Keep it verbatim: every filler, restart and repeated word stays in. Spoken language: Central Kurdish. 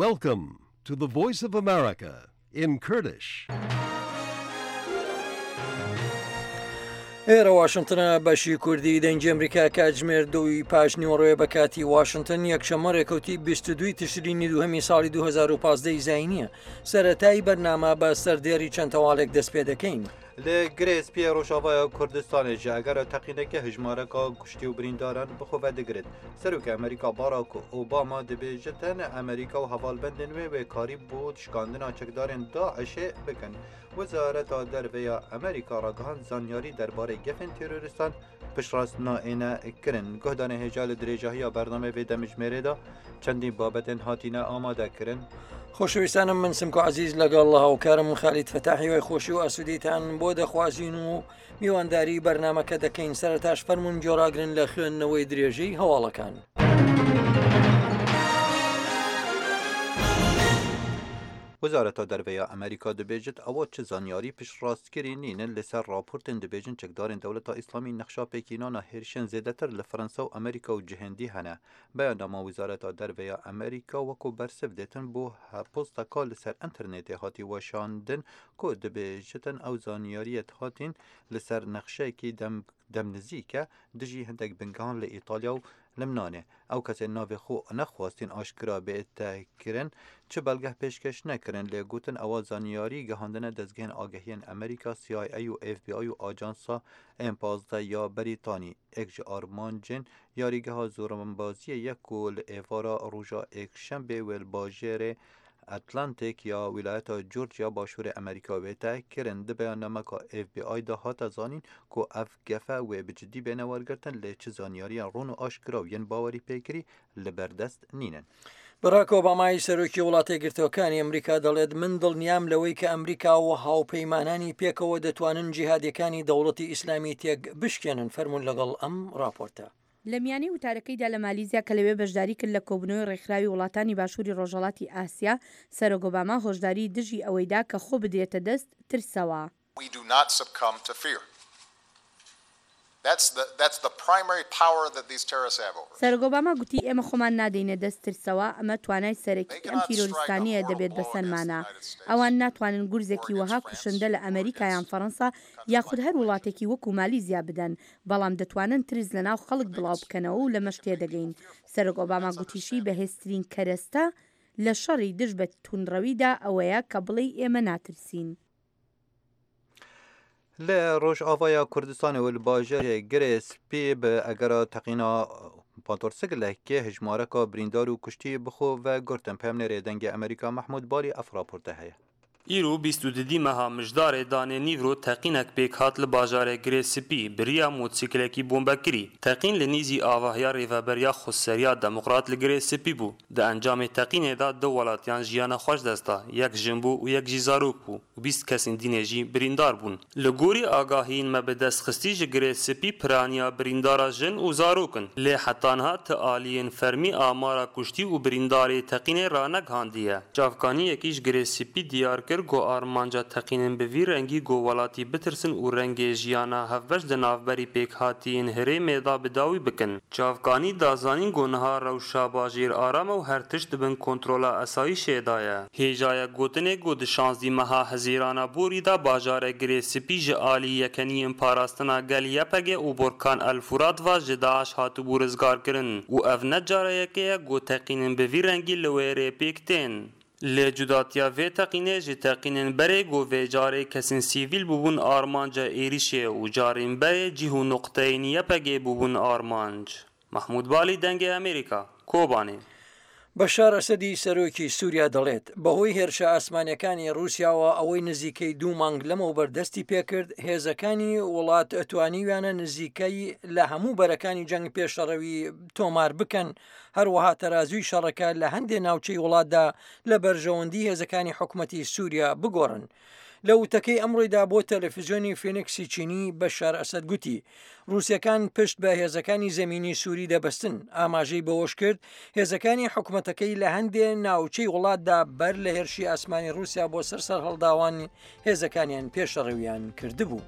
Welcome to the Voice of America in Kurdish. ئێرە واشنتنە بەشی کوردی دەنگی ئەمریکا کاتژمێر دووی پاش نیوەڕۆیە بە کاتی واشنتن یەکشەممە ڕێکەوتی بیست و دووی تشرینی دووهەمی ساڵی دوو هەزار و پازدە ی زایینیە. سەرەتای بەرنامە بە سەردێڕی چەند هەواڵێک دەست پێ دەکەین. لە گرێ سپیە ڕۆژاوایە کوردستانێ ji ئەگەرە تەقینەکە هەژمارەکە کوشتی و برینداران بخۆ دەگرێت. سەرۆکی ئەمریکا باراک ئۆباما دەبێژێتن ئەمریکا و هەواڵبەندن وێ وێکاری بۆ شکاندنا چەکدارên داعشێ بکەن. وەزارەتا دەرڤەیا ئەمریکا ڕاگەهاند زانیاری دەربارەی گەفên تێرۆریستان پشتڕاست نائێنە کردن. گوهدانە هێژا لە درێژاهیا بەرنامەی vê دەمژمێرێدا چەندین بابەتên هاتینە ئامادەکردن. خۆشەویستانم من سمکۆ عەزیز لەگەڵ هاوکارم خالید فەتاحی وای خۆشی و ئاسوودیتان بۆ دەخوازین و میوانداری بەرنامەکە دەکەین. سەرەتاش فەرمونون گۆڕاگرن لە خوێندنەوەی درێژەی هەواڵەکان. وەزارەتا دەرڤەیا ئەمریکا دەبێژێت ئەوە چ زانیاری پشتڕاستکردی نینن لەسەر راپۆرتن دەبێژن چەکدارên دەوڵەتا ئیسلامی نەخشا پێکینانە هێرشن زێدەتر لە فەرەنسا و ئەمریکا و جهندی هەنە. بەیاننامە وەزارەتا دەرڤەیا ئەمریکا وەکو بەرسڤ دێتن بۆ پۆستەکە لەسەر ئینتەرنێتێ هاتی وەشاندن کو دەبێژێتن ئەو زانیاریەت هاتین لەسەر نەخشەیەکی دەمنزیکە دژی هەندێک بنگەهان لە ئیتالیا و لمنانێ. ئەو کەسێ ناوێ خۆ نەخواستین ئاشکرا بێتەکردن چ بەڵگەه پێشکەش نەکردن لێ گوتن ئەوە زانیاری گەهاندنە دەستگەهên ئاگەهiyên ئەمریکا سی ئای ئەی و ئف بی ئای و ئاژانسا ئێم پازدە یا بەریتانی. ئێک ji armancên یاریگەها زۆرەمبازیە یەک و li êvara roja êkşembê wê li bajêrê Atlantik ya wîlayeta Georgia başûrê Amerîka wê te kirin. Di beyannameka F B I da hate zanîn ku ev gefe wê bi cidî bêne wergirtin lê çi zanyariyan ron û aşkira û yên bawerî pêkirî li berdest nînin. باراک ئۆبامای سەرۆکی وڵاتە یەکگرتووەکانی ئەمریکا دەڵێت من دڵنیام لەوەی کە ئەمریکا و هاوپەیمانانی پێکەوە دەتوانن جیهادیەکانی دەوڵەتی ئیسلامی تێک بشکێنن. فەرمونون لەگەڵ ئەم راپۆرتە. لە میانی وتارەکەیدا لە مالیزیا کە لەوێ بەشداری کرد لە کۆبوونەوەی ڕێکخراوی وڵاتانی باشووری ڕۆژهەڵاتی ئاسیا، سەرۆک ئۆباما هۆشداری دژی ئەوەیدا کە خۆ بدرێتە دەست ترسەوە. We do not succumb to fear. That's the, that's the primary power that these terrorists have over us. سەرۆک ئۆباما گوتی ئێمە خۆمان نادەینە دەست ترسەوە، ئەمە توانای سەرەکی ئەم تیرۆریستانیە دەبێت بەسەرمانە. ئەوان ناتوانن گورزێکی وەها کوشندە لە ئەمریکا یان فەرەنسا یاخود هەر وڵاتێکی وەکو مالیزیا بدەن، بەڵام دەتوانن ترس لەناو خەڵک بڵاو بکەنەوە و لەمەش تێدەگەین. سەرۆک ئۆباما گوتیشی بەهێزترین کەرەستە لە شەڕی دژ بە توندڕەویدا ئەوەیە کە بڵێی ئێمە ناترسین. لە ڕۆژاوایە کوردستانê û li bajarê Girê Spî bi egera teqîna motorsîklekê hejmareka birîndar û kuştî bi xwe ve girtin. Peyamnêrê Dengê Amerîka Mehmûd Balî ev raporte heye. Îro bîst û dudî meha mijdarê danê nîvro teqînek pêk hat li bajarê Girê Spî biriya motorsîklekî bombekirî. Teqîn li nêzî avahiya Rêveberiya Xweseriya Demokrat li Girê Spî bû. Di encamê teqînê de du welatiyan jiyana xwe ji dest da, yek jin bû û yek jî zarok bû û bîst kesên dînê jî birîndar bûn. Li gorî agahiyên me bi destxistî ji Girê Spî piraniya birîndara jin û zarok in. Lê heta niha ti aliyên fermî amara kuştî û birîndarê teqînê ranegihandiye. Çavkaniyekî ji Girê Spî diyar kir ku armanca teqînên bi vî rengî ku welatî bitirsin û rengê jiyana hevbeş di navberî pêkhatiyên herêmê de bi dawî bikin. Çavkanî da zanîn ku niha rewşa bajêr aram e û her tişt di bin kontrola esayîşê de ye. Hêjaya gotinê ku di şazdeh meha Hezîrana borî de bajarê Girê Spî ji alî yekeniyên parastina gel Y P G û Borkan El-Furat ve ji Daîş hatibû rizgarkirin û ev ne cara yekê ye ku teqînên bi vî rengî li wê rê pêk tên. Lê cudatiya vê teqînê ji teqînên berê ku vê carê kesên sivîl bûbûn armanca êrişê û carên berê cih û noqteyên Y P G bûbûn armanc. Mehmûd Balî, Dengê Amerîka, Kobanê. بەشار ئەسەدی سەرۆکی سووریا دەڵێت بەهۆی هێرشە ئاسمانیەکانی رووسیاوە ئەوەی نزیکەی دوو مانگ لەمەوبەر دەستی پێکرد، هێزەکانی وڵات توانیویانە نزیکەی لە هەموو بەرەکانی جەنگ پێشەڕەوی تۆمار بکەن. هەروەها تەرازووی شەڕەکە لە هەندێک ناوچەی وڵاتدا لە بەرژەوەندی هێزەکانی حکوومەتی سووریا بگۆڕن. لە وتەکەی ئەمڕۆیدا بۆ تەلەفیزیۆنی فینکسی چینی بەشار ئەسەد گوتی رووسەکان پشت بە هێزەکانی زەمینی سووری دەبەستن. ئاماژەی بەوەش کرد هێزەکانی حکوومەتەکەی لە هەندێک ناوچەی وڵاتدا بەر لە هێرشی ئاسمانی رووسیا بۆ سەر سەرهەڵداوان هێزەکانیان پێشەڕەویان کردبوو.